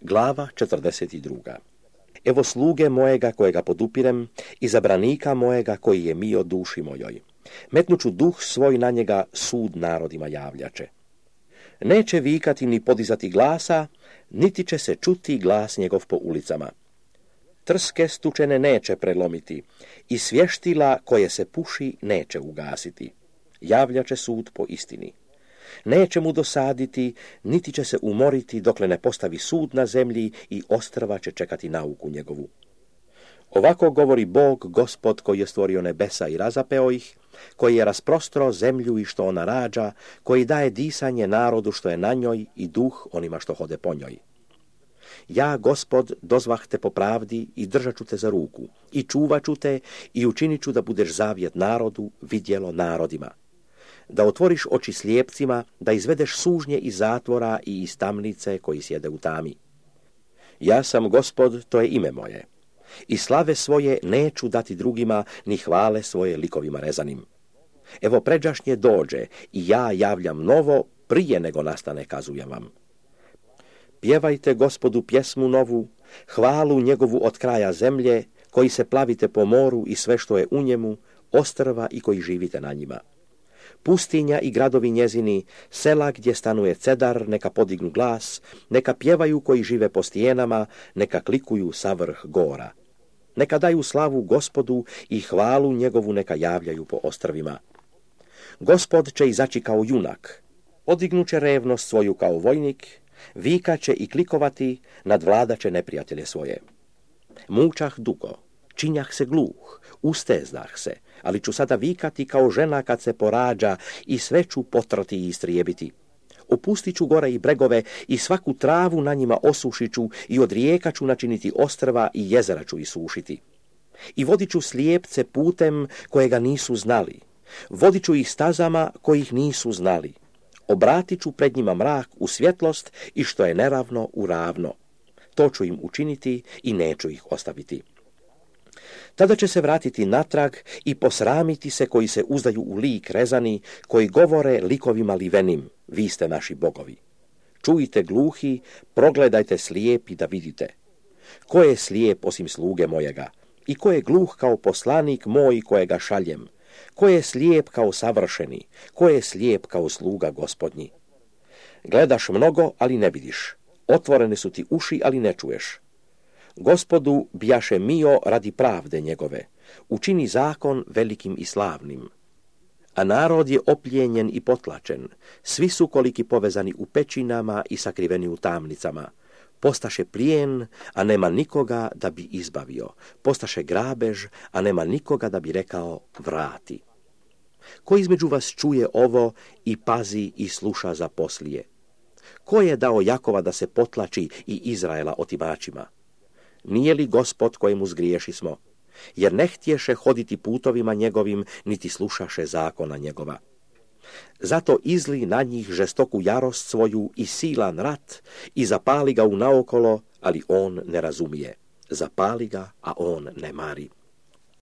Glava 42. Evo sluge mojega kojega podupirem, izabranika mojega koji je mio duši mojoj. Metnuću duh svoj na njega, sud narodima javljače. Neće vikati ni podizati glasa, niti će se čuti glas njegov po ulicama. Trske stučene neće prelomiti i svještila koje se puši neće ugasiti. Javljače sud po istini. Neće mu dosaditi, niti će se umoriti dokle ne postavi sud na zemlji i ostrva će čekati nauku njegovu. Ovako govori Bog, Gospod koji je stvorio nebesa i razapeo ih, koji je rasprostro zemlju i što ona rađa, koji daje disanje narodu što je na njoj i duh onima što hode po njoj. Ja, Gospod, dozvah te po pravdi i držat ću te za ruku, i čuvat ću te i učinit ću da budeš zavjet narodu, vidjelo narodima. Da otvoriš oči slijepcima, da izvedeš sužnje iz zatvora i iz tamnice koji sjede u tami. Ja sam Gospod, to je ime moje. I slave svoje neću dati drugima, ni hvale svoje likovima rezanim. Evo pređašnje dođe i ja javljam novo, prije nego nastane kazujem vam. Pjevajte Gospodu pjesmu novu, hvalu njegovu od kraja zemlje, koji se plavite po moru i sve što je u njemu, ostrva i koji živite na njima. Pustinja i gradovi njezini, sela gdje stanuje cedar, neka podignu glas, neka pjevaju koji žive po stijenama, neka klikuju sa vrh gora. Neka daju slavu Gospodu i hvalu njegovu neka javljaju po ostrvima. Gospod će izaći kao junak, podignuće revnost svoju kao vojnik, vikaće i klikovati, nadvladaće neprijatelje svoje. Mučah dugo, činjah se gluh, ustezdah se, ali ću sada vikati kao žena kad se porađa i sve ću potrati i istrijebiti. Opustit ću gore i bregove i svaku travu na njima osušit ću i od rijeka ću načiniti ostrva i jezera ću isušiti. I vodit ću slijepce putem kojega nisu znali, vodit ću ih stazama kojih nisu znali. Obratit ću pred njima mrak u svjetlost i što je neravno u ravno. To ću im učiniti i neću ih ostaviti. Tada će se vratiti natrag i posramiti se koji se uzdaju u lik rezani, koji govore likovima livenim, vi ste naši bogovi. Čujte gluhi, progledajte slijepi da vidite. Ko je slijep osim sluge mojega? I ko je gluh kao poslanik moj kojega šaljem? Ko je slijep kao savršeni? Ko je slijep kao sluga Gospodnji? Gledaš mnogo, ali ne vidiš. Otvorene su ti uši, ali ne čuješ. Gospodu bjaše mio radi pravde njegove, učini zakon velikim i slavnim. A narod je opljenjen i potlačen, svi su koliki povezani u pećinama i sakriveni u tamnicama. Postaše plijen, a nema nikoga da bi izbavio, postaše grabež, a nema nikoga da bi rekao vrati. Ko između vas čuje ovo i pazi i sluša za poslije? Ko je dao Jakova da se potlači i Izraela otimačima? Nije li Gospod kojemu zgriješismo? Jer ne htješe hoditi putovima njegovim, niti slušaše zakona njegova. Zato izli na njih žestoku jarost svoju i silan rat i zapali ga unaokolo, ali on ne razumije. Zapali ga, a on ne mari.